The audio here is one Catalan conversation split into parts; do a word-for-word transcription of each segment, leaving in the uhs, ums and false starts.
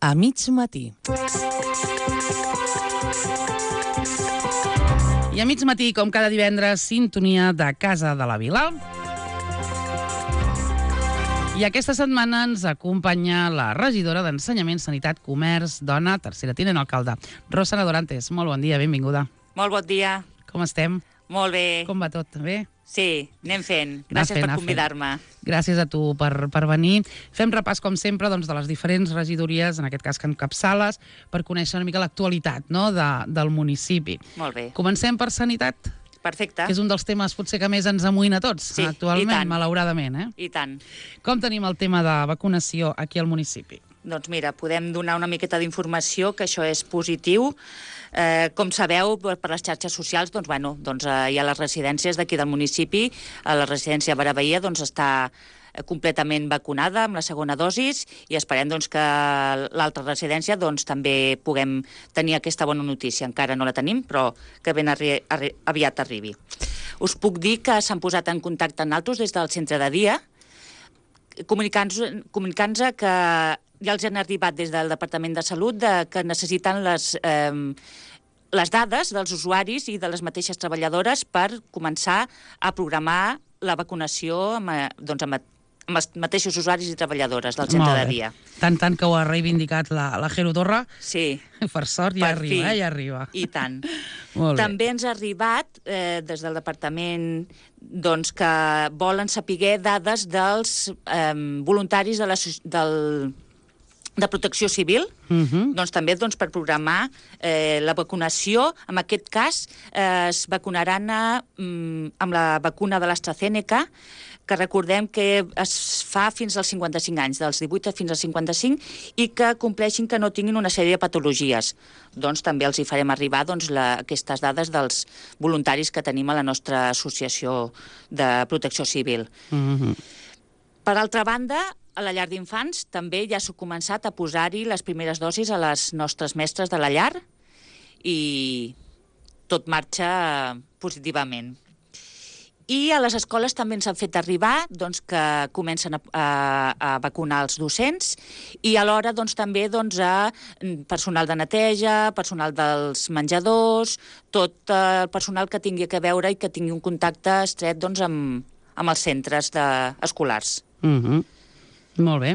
a mig matí. I a mig matí, com cada divendres, sintonia de Casa de la Vila. I aquesta setmana ens acompanya la regidora d'Ensenyament, Sanitat, Comerç, Dona, tercera tinent alcalde, Rosana Dorantes. Molt bon dia, benvinguda. Molt bon dia. Com estem? Molt bé. Com va tot? Bé? Sí, anem fent. Gràcies per convidar-me. Gràcies a tu per, per venir. Fem repàs, com sempre, doncs, de les diferents regidories, en aquest cas que encapçales, per conèixer una mica l'actualitat, no?, de, del municipi. Molt bé. Comencem per sanitat. Perfecte. Que és un dels temes potser que més ens amoïna a tots, sí, actualment, malauradament. Eh? I tant. Com tenim el tema de vacunació aquí al municipi? Doncs mira, podem donar una miqueta d'informació, que això és positiu. Eh, com sabeu, per les xarxes socials, doncs, bueno, doncs, eh, hi ha les residències d'aquí del municipi. A la residència Barabaia doncs, està completament vacunada amb la segona dosis i esperem doncs, que l'altra residència doncs, també puguem tenir aquesta bona notícia. Encara no la tenim, però que ben arri arri aviat arribi. Us puc dir que s'han posat en contacte amb nosaltres des del centre de dia, comunicant-nos comunicant que ja els han arribat des del Departament de Salut de, que necessiten les, eh, les dades dels usuaris i de les mateixes treballadores per començar a programar la vacunació amb, doncs, amb, amb els mateixos usuaris i treballadores del centre de dia. Tant, tant que ho ha reivindicat la, la Jero Torra. Sí. Per sort, ja per arriba, fi. eh? Ja arriba. I tant. Molt bé. També ens ha arribat, eh, des del departament, doncs, que volen saber dades dels eh, voluntaris de la, del, de protecció civil, uh-huh. doncs també doncs, per programar eh, la vacunació. En aquest cas, eh, es vacunaran a, mm, amb la vacuna de l'AstraZeneca, que recordem que es fa fins als cinquanta-cinc anys, dels divuit fins als cinquanta-cinc, i que compleixin que no tinguin una sèrie de patologies. Doncs també els hi farem arribar doncs, la, aquestes dades dels voluntaris que tenim a la nostra associació de protecció civil. Uh-huh. Per altra banda, a la llar d'infants també ja s'ha començat a posar-hi les primeres dosis a les nostres mestres de la llar i tot marxa positivament. I a les escoles també ens han fet arribar doncs, que comencen a, a, a vacunar els docents i alhora doncs, també doncs, a personal de neteja, personal dels menjadors, tot el personal que tingui a veure i que tingui un contacte estret doncs, amb, amb els centres de, escolars. Uh-huh. Molt bé.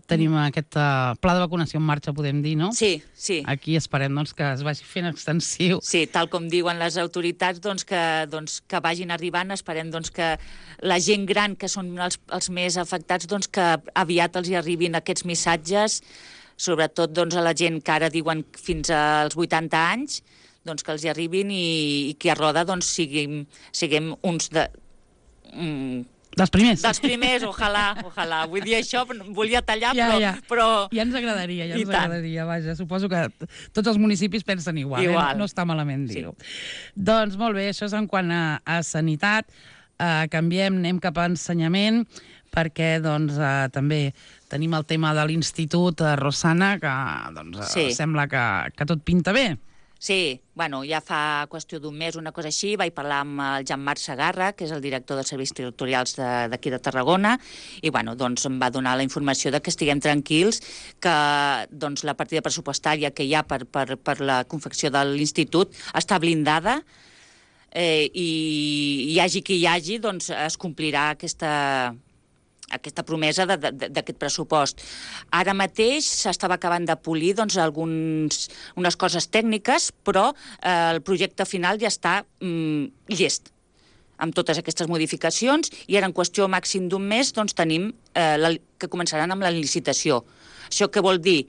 Tenim aquest uh, pla de vacunació en marxa, podem dir, no? Sí, sí. Aquí esperem doncs, que es vagi fent extensiu. Sí, tal com diuen les autoritats, doncs, que, doncs, que vagin arribant. Esperem doncs, que la gent gran, que són els, els més afectats, doncs, que aviat els hi arribin aquests missatges, sobretot doncs, a la gent que ara diuen fins als vuitanta anys, doncs, que els hi arribin i, i que a Roda doncs, siguem, siguem uns de... Mm, dels primers. Dels primers, ojalà, ojalà. Vull dir això, volia tallar, ja, però, ja. però... Ja ens agradaria, ja I ens tant. agradaria, vaja. Suposo que tots els municipis pensen igual, igual. Eh? No està malament dir-ho. Sí. Doncs molt bé, això és en quant a, a sanitat. Uh, canviem, anem cap a ensenyament, perquè doncs, uh, també tenim el tema de l'Institut uh, Rosana, que doncs, uh, sí. sembla que, que tot pinta bé. Sí, bueno, ja fa qüestió d'un mes, una cosa així, vaig parlar amb el Jean-Marc Segarra, que és el director dels serveis territorials d'aquí de, de Tarragona, i bueno, doncs em va donar la informació de que estiguem tranquils, que doncs, la partida pressupostària que hi ha per, per, per la confecció de l'institut està blindada, eh, i hi hagi qui hi hagi, doncs es complirà aquesta... aquesta promesa d'aquest pressupost. Ara mateix s'estava acabant de polir doncs, alguns, unes coses tècniques, però eh, el projecte final ja està mm, llest, amb totes aquestes modificacions, i ara en qüestió màxim d'un mes doncs, tenim eh, la, que començaran amb la licitació. Això què vol dir?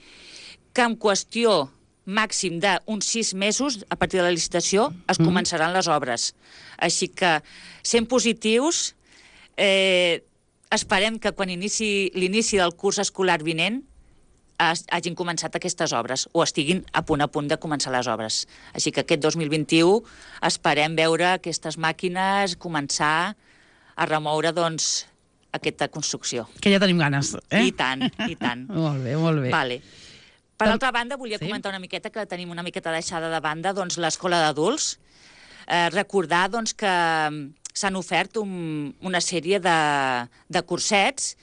Que en qüestió màxim d'uns sis mesos, a partir de la licitació, es començaran les obres. Així que, sent positius, eh, esperem que quan inici l'inici del curs escolar vinent hagin començat aquestes obres o estiguin a punt a punt de començar les obres. Així que aquest dos mil vint-i-u esperem veure aquestes màquines començar a remoure doncs, aquesta construcció. Que ja tenim ganes, eh? I tant, i tant. Molt bé, molt bé. Vale. Per altra banda, volia sí? comentar una miqueta que tenim una miqueta deixada de banda doncs, l'escola d'adults. Eh, recordar doncs, que s'han ofert un, una sèrie de, de cursets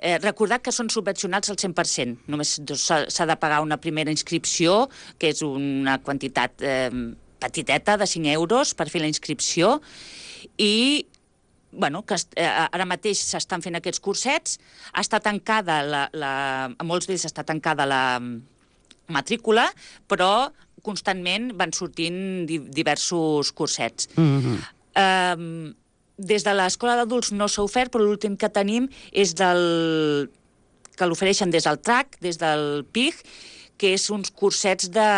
Eh, recordar que són subvencionats al cent per cent. Només s'ha de pagar una primera inscripció, que és una quantitat eh, petiteta de cinc euros per fer la inscripció, i bueno, que eh, ara mateix s'estan fent aquests cursets. Està tancada, la, la, a molts d'ells està tancada la matrícula, però constantment van sortint di diversos cursets. Mm-hmm. eh, des de l'Escola d'Adults no s'ha ofert, però l'últim que tenim és del que l'ofereixen des del T R A C, des del P I G, que és uns cursets de...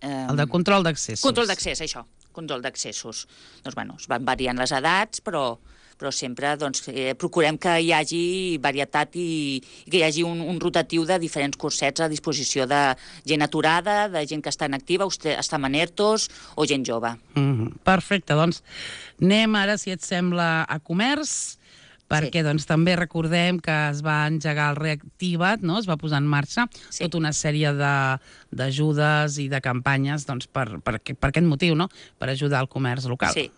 Eh, el de control d'accessos. Control d'accés, això, control d'accessos. Doncs, bueno, es van variant les edats, però, però sempre doncs, eh, procurem que hi hagi varietat i, i que hi hagi un, un rotatiu de diferents cursets a disposició de gent aturada, de gent que està en activa, està en ERTOs o gent jove. Mm-hmm. Perfecte, doncs anem ara, si et sembla, a comerç, perquè sí. doncs, també recordem que es va engegar el Reactiva't, no? Es va posar en marxa sí. tota una sèrie d'ajudes i de campanyes doncs, per, per, per aquest motiu, no? Per ajudar el comerç local. Sí,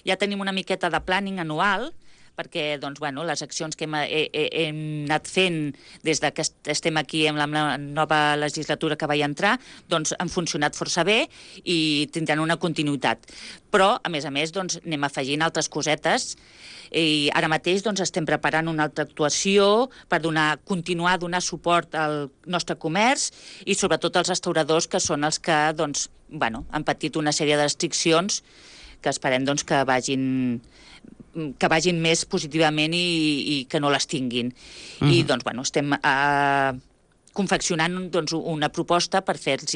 ja tenim una miqueta de planning anual, perquè doncs, bueno, les accions que hem, he, he, hem anat fent des que estem aquí amb la nova legislatura que vaig entrar, doncs han funcionat força bé i tindran una continuïtat. Però, a més a més, doncs, anem afegint altres cosetes i ara mateix doncs, estem preparant una altra actuació per donar, continuar a donar suport al nostre comerç i sobretot als restauradors, que són els que doncs, bueno, han patit una sèrie de restriccions que esperem doncs, que vagin que vagin més positivament i, i que no les tinguin. Mm-hmm. I doncs, bueno, estem uh, confeccionant doncs, una proposta per fer-los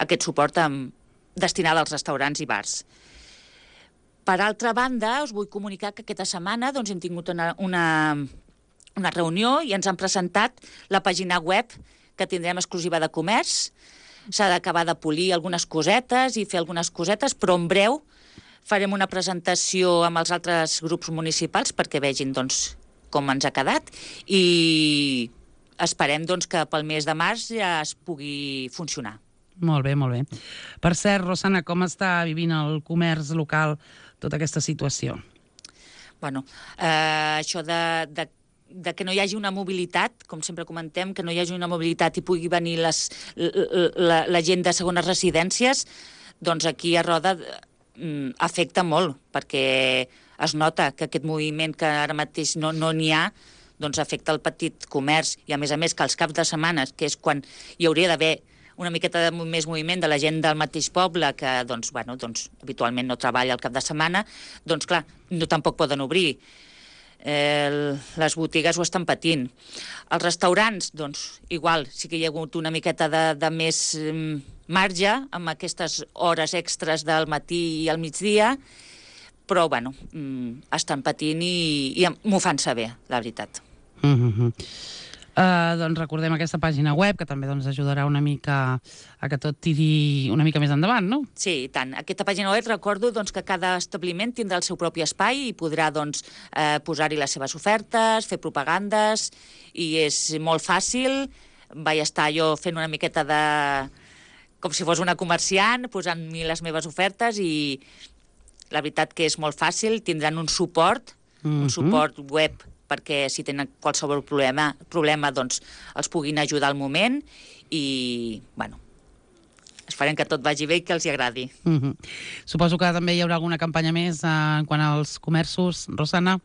aquest suport amb, destinat als restaurants i bars. Per altra banda, us vull comunicar que aquesta setmana doncs, hem tingut una, una, una reunió i ens han presentat la pàgina web que tindrem exclusiva de comerç. S'ha d'acabar de polir algunes cosetes i fer algunes cosetes, però en breu farem una presentació amb els altres grups municipals perquè vegin doncs, com ens ha quedat i esperem doncs, que pel mes de març ja es pugui funcionar. Molt bé, molt bé. Per cert, Rosana, com està vivint el comerç local tota aquesta situació? Bueno, eh, això de, de, de que no hi hagi una mobilitat, com sempre comentem, que no hi hagi una mobilitat i pugui venir les, la, la, la gent de segones residències, doncs aquí a Roda afecta molt, perquè es nota que aquest moviment que ara mateix no n'hi no ha, doncs afecta el petit comerç i a més a més que els caps de setmana, que és quan hi hauria d'haver una miqueta de més moviment de la gent del mateix poble que doncs, bueno, doncs, habitualment no treballa el cap de setmana, doncs clar, no tampoc poden obrir. Eh, les botigues ho estan patint. Els restaurants, doncs, igual, sí que hi ha hagut una miqueta de, de més eh, marge amb aquestes hores extres del matí i al migdia, però, bueno, mm, estan patint i, i m'ho fan saber, la veritat. Mm-hmm. Uh, doncs recordem aquesta pàgina web, que també doncs, ajudarà una mica a que tot tiri una mica més endavant, no? Sí, i tant. Aquesta pàgina web recordo doncs, que cada establiment tindrà el seu propi espai i podrà doncs, eh, posar-hi les seves ofertes, fer propagandes, i és molt fàcil. Vaig estar jo fent una miqueta de... com si fos una comerciant, posant-hi les meves ofertes, i la veritat que és molt fàcil. Tindran un suport, mm-hmm. un suport web, perquè si tenen qualsevol problema, problema doncs els puguin ajudar al moment i, bueno, esperem que tot vagi bé i que els hi agradi. Mm-hmm. Suposo que també hi haurà alguna campanya més en quant als comerços, Rosana?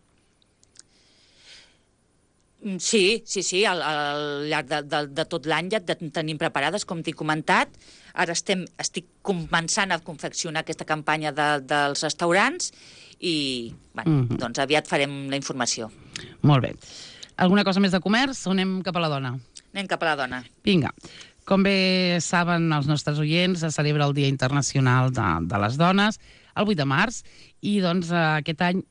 Sí, sí, sí, al, al llarg de, de, de tot l'any ja tenim preparades, com t'he comentat. Ara estem, estic començant a confeccionar aquesta campanya de, dels restaurants i, bueno, mm-hmm. doncs aviat farem la informació. Molt bé. Alguna cosa més de comerç o anem cap a la dona? Anem cap a la dona. Vinga. Com bé saben els nostres oients, es celebra el Dia Internacional de, de les Dones, el vuit de març, i doncs aquest any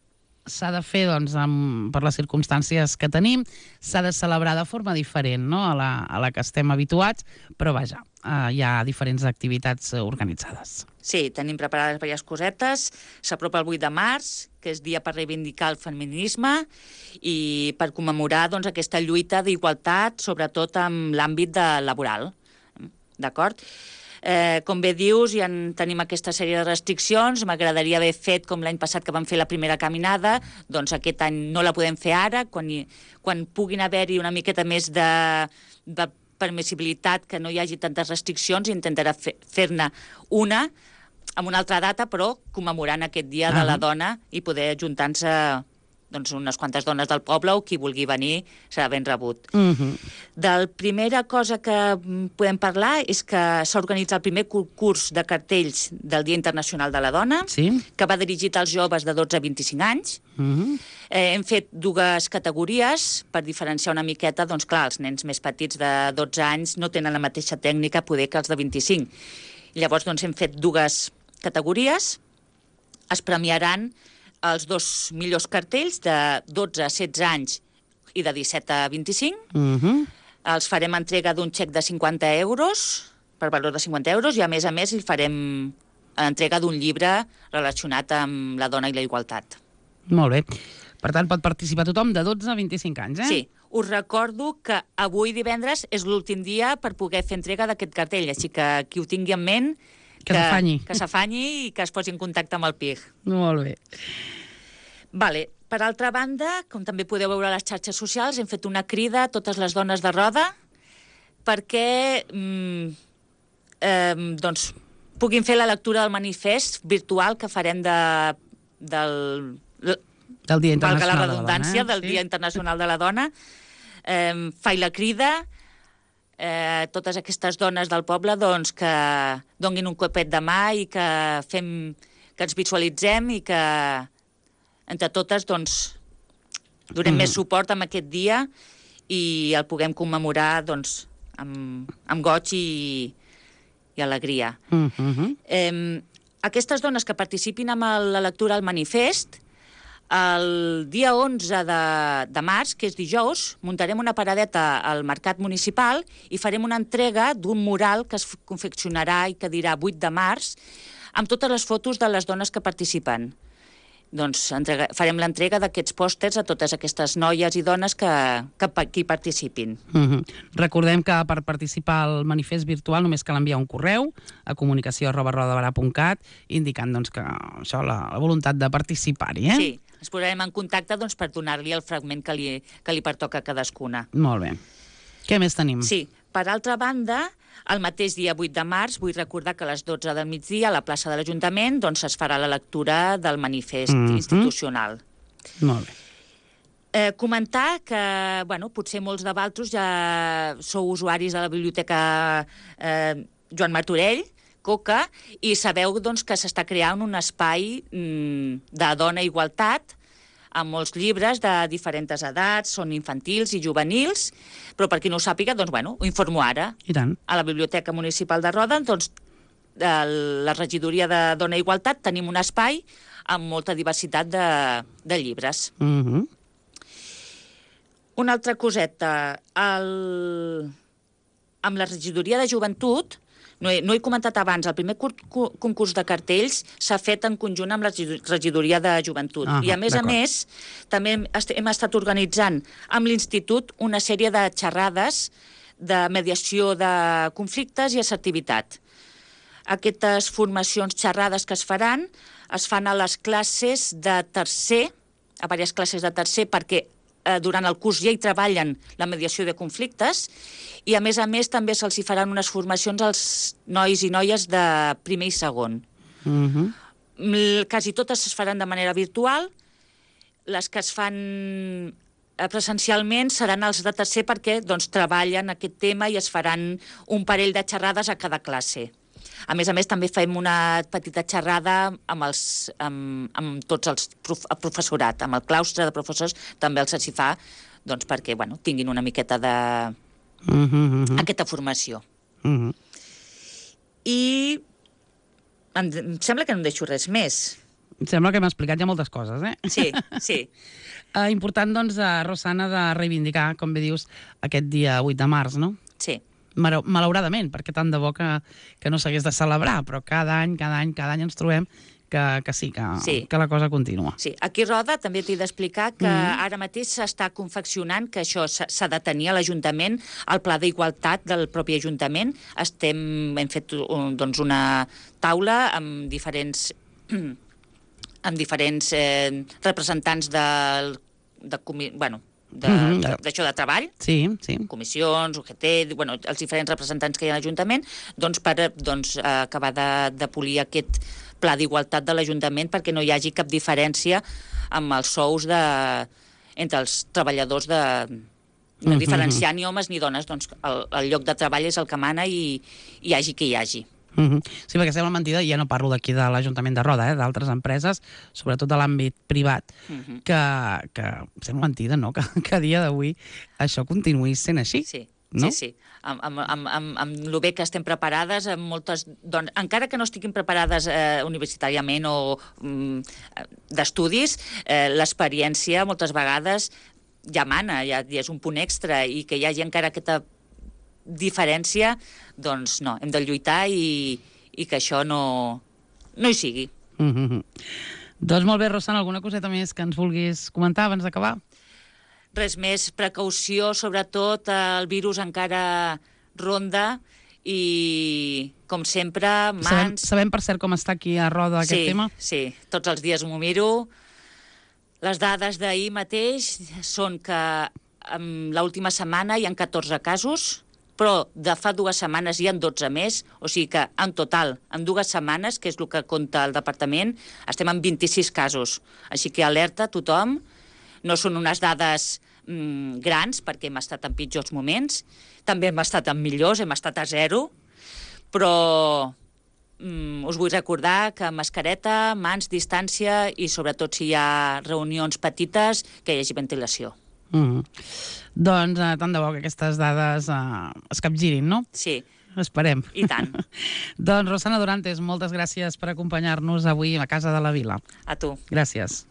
s'ha de fer, doncs, amb, per les circumstàncies que tenim, s'ha de celebrar de forma diferent, no?, a la, a la que estem habituats, però vaja, eh, hi ha diferents activitats organitzades. Sí, tenim preparades diverses cosetes. S'apropa el vuit de març, que és dia per reivindicar el feminisme i per commemorar doncs, aquesta lluita d'igualtat, sobretot en l'àmbit de laboral. D'acord? Eh, com bé dius, ja en tenim aquesta sèrie de restriccions. M'agradaria haver fet, com l'any passat que vam fer la primera caminada, doncs aquest any no la podem fer ara. Quan, hi, quan puguin haver-hi una miqueta més de, de permissibilitat, que no hi hagi tantes restriccions, intentarà fer, fer-ne una amb una altra data, però commemorant aquest dia uh-huh. de la dona i poder ajuntar-se doncs, unes quantes dones del poble o qui vulgui venir serà ben rebut. Uh-huh. La primera cosa que podem parlar és que s'ha organitzat el primer concurs de cartells del Dia Internacional de la Dona, sí? que va dirigit als joves de dotze a vint-i-cinc anys. Uh-huh. Eh, hem fet dues categories per diferenciar una miqueta, doncs clar, els nens més petits de dotze anys no tenen la mateixa tècnica poder que els de vint-i-cinc. Llavors doncs, hem fet dues categories. Es premiaran els dos millors cartells de dotze a setze anys i de disset a vint-i-cinc. Uh-huh. Els farem entrega d'un xec de cinquanta euros, per valor de cinquanta euros, i a més a més li farem entrega d'un llibre relacionat amb la dona i la igualtat. Molt bé. Per tant, pot participar tothom de dotze a vint-i-cinc anys, eh? Sí. Us recordo que avui divendres és l'últim dia per poder fer entrega d'aquest cartell, així que qui ho tingui en ment que s'afanyi. Que s'afanyi i que es posi en contacte amb el P I G. Molt bé. Vale. Per altra banda, com també podeu veure a les xarxes socials, hem fet una crida a totes les dones de Roda perquè mm, eh, doncs, puguin fer la lectura del manifest virtual que farem de, del, del Dia Internacional valga la redundància, de la Dona, eh? del Sí. Dia Internacional de la Dona. Eh, faig la crida eh, totes aquestes dones del poble doncs, que donguin un copet de mà i que fem que ens visualitzem i que entre totes doncs, donem mm. més suport en aquest dia i el puguem commemorar doncs, amb, amb goig i, i alegria. Mm -hmm. eh, aquestes dones que participin en la lectura del manifest, el dia onze de, de març, que és dijous, muntarem una paradeta al Mercat Municipal i farem una entrega d'un mural que es confeccionarà i que dirà vuit de març, amb totes les fotos de les dones que participen. Doncs entrega, farem l'entrega d'aquests pòsters a totes aquestes noies i dones que, que, que hi participin. Mm-hmm. Recordem que per participar al manifest virtual només cal enviar un correu a comunicació arroba rodabarà punt cat indicant doncs, que això, la, la voluntat de participar-hi. Eh? Sí, ens posarem en contacte doncs, per donar-li el fragment que li, que li pertoca a cadascuna. Molt bé. Què més tenim? Sí, per altra banda, el mateix dia vuit de març, vull recordar que a les dotze del migdia a la plaça de l'Ajuntament doncs, es farà la lectura del manifest mm-hmm. institucional. Molt bé. Eh, comentar que, bueno, potser molts de vosaltres ja sou usuaris de la biblioteca eh, Joan Martorell, Coca, i sabeu doncs, que s'està creant un espai mm, de dona i igualtat amb molts llibres de diferents edats, són infantils i juvenils, però per qui no ho sàpiga, doncs, bueno, ho informo ara. I tant. A la Biblioteca Municipal de Roda, doncs, a la regidoria de Dona i Igualtat tenim un espai amb molta diversitat de, de llibres. Mm-hmm. Una altra coseta, el... amb la regidoria de joventut, no he, no he comentat abans, el primer concurs de cartells s'ha fet en conjunt amb la regidoria de joventut. Ah, I a més a més, també hem, hem estat organitzant amb l'Institut una sèrie de xerrades de mediació de conflictes i assertivitat. Aquestes formacions xerrades que es faran es fan a les classes de tercer, a diverses classes de tercer, perquè eh, durant el curs ja hi treballen la mediació de conflictes, i a més a més també se'ls hi faran unes formacions als nois i noies de primer i segon. Mm-hmm. Quasi totes es faran de manera virtual, les que es fan presencialment seran els de tercer perquè doncs, treballen aquest tema i es faran un parell de xerrades a cada classe. A més a més, també fem una petita xerrada amb, els, amb, amb tots els prof, el professorat, amb el claustre de professors, també els s'hi fa doncs, perquè bueno, tinguin una miqueta de... Mm-hmm. aquesta formació. Mm-hmm. I em, em sembla que no em deixo res més. Em sembla que hem explicat ja moltes coses, eh? Sí, sí. Uh, important, doncs, a Rosana, de reivindicar, com bé dius, aquest dia vuit de març, no? Sí. Malauradament, perquè tant de bo que, que no s'hagués de celebrar, però cada any, cada any, cada any ens trobem que, que sí, que, Sí. que la cosa continua. Sí, aquí a Roda també t'he d'explicar que mm. ara mateix s'està confeccionant, que això s'ha de tenir a l'Ajuntament, el pla d'igualtat del propi Ajuntament. Estem, hem fet un, doncs una taula amb diferents, amb diferents eh, representants del, de, comi, bueno, de, mm -hmm. d'això de treball, sí, sí. comissions, U G T, bueno, els diferents representants que hi ha a l'Ajuntament, doncs per doncs, acabar de, de polir aquest pla d'igualtat de l'Ajuntament perquè no hi hagi cap diferència amb els sous de, entre els treballadors de... no diferenciar ni homes ni dones, doncs el, el lloc de treball és el que mana i hi hagi qui hi hagi. Uh -huh. Sí, perquè sembla mentida, i ja no parlo d'aquí de l'Ajuntament de Roda, eh, d'altres empreses, sobretot de l'àmbit privat, uh -huh. que, que sembla mentida, no?, que, que a dia d'avui això continuï sent així. Sí, no? sí, sí. Amb, amb, amb, amb, amb el bé que estem preparades, amb moltes dones, encara que no estiguin preparades eh, universitàriament o mm, d'estudis, eh, l'experiència moltes vegades ja mana, ja, ja és un punt extra, i que hi hagi encara aquesta diferència, doncs no, hem de lluitar i, i que això no, no hi sigui. Mm-hmm. Doncs molt bé, Rosana, alguna coseta més que ens vulguis comentar abans d'acabar? Res més, precaució, sobretot, el virus encara ronda i, com sempre, mans... Sabem, sabem per cert, com està aquí a Roda aquest sí, tema? Sí, tots els dies m'ho miro. Les dades d'ahir mateix són que en l'última setmana hi ha catorze casos, però de fa dues setmanes hi ha dotze més, o sigui que en total, en dues setmanes, que és el que compta el departament, estem en vint-i-sis casos. Així que alerta a tothom, no són unes dades mm, grans, perquè hem estat en pitjors moments, també hem estat en millors, hem estat a zero, però mm, us vull recordar que mascareta, mans, distància i sobretot si hi ha reunions petites, que hi hagi ventilació. Mm. Doncs eh, tant de bo que aquestes dades eh, es capgirin, no? Sí. Esperem. I tant. Doncs Rosana Dorantes, moltes gràcies per acompanyar-nos avui a Casa de la Vila. A tu. Gràcies.